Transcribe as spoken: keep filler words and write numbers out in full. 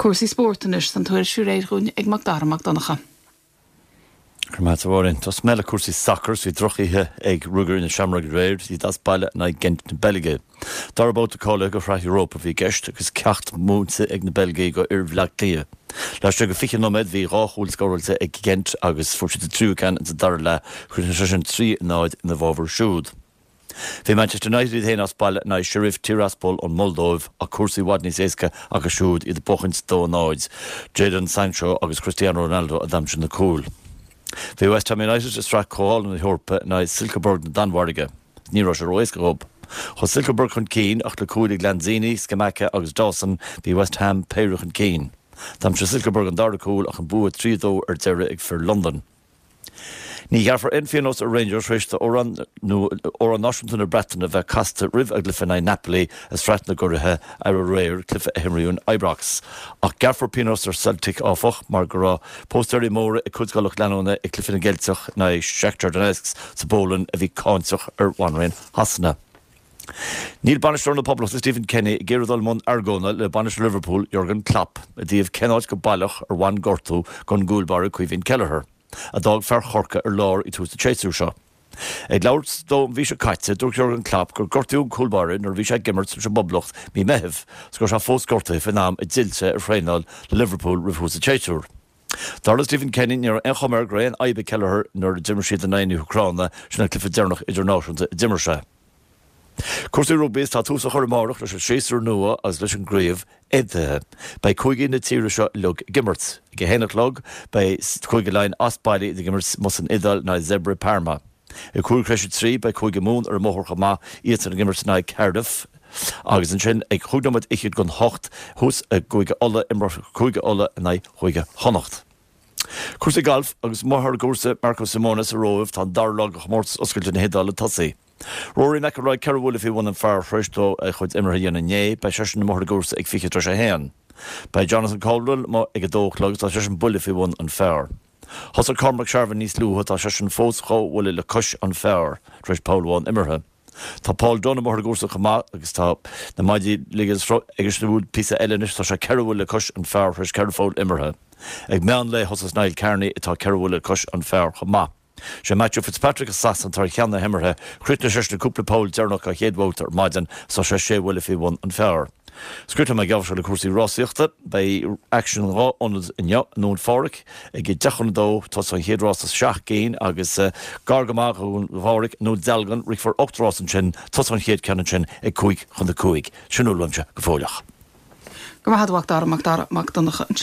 Cúrsaí spóirt anois an tuairisc réidh dúinn ag Macdara Mac Donncha. Márin Tá mé le cúrsaí sacair bhí drochoíche ag Ruagairí na Seamróige aréir iad as baile in aghaidh Gent na Beilge. Dara babhta cáilithe do Shraith Europa bhí i gceist agus ceacht múinte ag na Beilgigh do fhir Bhaile Átha Cliath. Laistigh de fiche nóiméad bhí dhá chúl scóráilte ag Gent agus fuair siad an tríú ceann sa dara leath chuir sé sin trí náid ina bhfabhar siúd. Bhí Manchester United féin as baile in aghaidh Sheriff Tiraspol ón Moldóiv ach cúrsaí i bhfad níos éasca acu siúd iad ag buachaint dó náid, Jadon Sancho agus Cristiano Ronaldo a d'aimsigh na cúil. Bhí West Ham United i Sraith Comhdhála na hEorpa in aghaidh Silkeborg na Danmhairge. Ní raibh sé ró-éasca dóibh. Chuaigh Silkeborg chun cinn ach le cúil ag Lanzini, Scamacca agus Dawson bhí West Ham péire chun cinn. D'aimsigh Silkeborg an dara cúl ach an bua trí dó ar deireadh ag fir London. Ní ghearrfar aon phionós ar Rangers tar éis d'amhrán amhrán náisiúnta na Breataine bheith casta roimh a gcluiche in aghaidh Napoli i Sraith na gCuradh aréir cluiche a himríodh in Ibrox. Ach gearrfar pionós ar Celtic áfach mar go raibh póstaerí móra ag cuid dá lucht leanúna ag cluiche na gCeilteach in aghaidh Shakhtar Donetsk sa bPolainn a bhí cáinteach ar Bhanríon Shasana. Níl bainisteoir na Poblachta Stephen Kenny ag iarraidh dul i mbun argóna le bainisteoir Liverpool Jurgen Klopp i dtaobh cén áit go baileach ar bhain gortú don gcúl báire Caoimhín Kelleher, a d'fhág fear Chorcaí ar lár i dtús an tséasúir seo. Ag labhairt dó an mhí seo caite dúirt Jurgen Klopp gur gortaíodh an cúl báire nuair a bhí sé ag imirt leis an bPoblacht mí Mheithimh, 's go raibh sé fós gortaithe faoin am a d'fhill sé ar thraenáil le Liverpool roimh thús an tséasúir. Dar le Stephen Kenny ní raibh aon chuma air go raibh aon fhadhb ag Kelleher nuair a d'imir siad in aghaidh na hÚcráine sin an cluiche deireanach idirnáisiúnta a d'imir sé. Cúrsaí rugbaí tá tús á chur amárach leis an séasúr nua agus leis an gcraobh aontaithe. Beidh cúigí na tíre seo uilig ag imirt. Ag a haon a chlog beidh Cúige Laighean as baile ag imirt san Iodáil in aghaidh Zebre Parma. I cúig tar éis a trí beidh Cúige Mumhan ar an mbóthar chomh maith iad ag imirt in aghaidh Cardiff. Agus ansin ag chúig nóiméad fhichead don hocht thuas i gCúige Uladh imreoidh Cúige Uladh in aghaidh Chúige Chonnacht. Cúrsaí gailf agus amuigh ar an gcúrsa Marco Simone sa Róimh tá an dara lá de chomórtas oscailte na hIodáile tosaithe. Rory McIlroy ceithre bhuille faoi bhun an phar tar éis dó a chuid imeartha a dhéanamh inné, beidh seisean amuigh ar an gcúrsa ag fiche tar éis a haon. Beidh Jonathan Caldwell amuigh ag a dó a chlog tá seisean buille faoi bhun an phar. Thosaigh Cormac Sharvin níos luaithe tá seisean fós dhá bhuille le cois an phar tar éis poll amháin imeartha. Tá Paul Dunne amuigh ar an gcúrsa chomh maith agus tá na maidí agus píosa eile anois tá sé ceithre bhuille le cois an phar tar éis ceithre pholl imeartha. Ag meán lae thosaigh Niall Kearney atá ceithre bhuille le cois an phar chomh maith. Sé Matthew Fitzpatrick as Sasana atá ar cheann na himeartha, chríochnaigh seisean cúpla poll deireanach an chéad bhabhta ar maidin tá sé sé bhuille faoi bhun an phar. Scrita me gabh le cúrsaí rásaíochta beidh aicsean dhá ionad inniu i nDún Phádraig ag deich chun a dó tá an chéad rás seacht gcinn agus gar go maith Dún Phádraig nó Dealgan rithfear ocht rás ansin tá an chéad cheann ansin ag cúig chun a cúig sin uaimse go fóilleach. Go maith Dara Mac Dara Mac Donncha.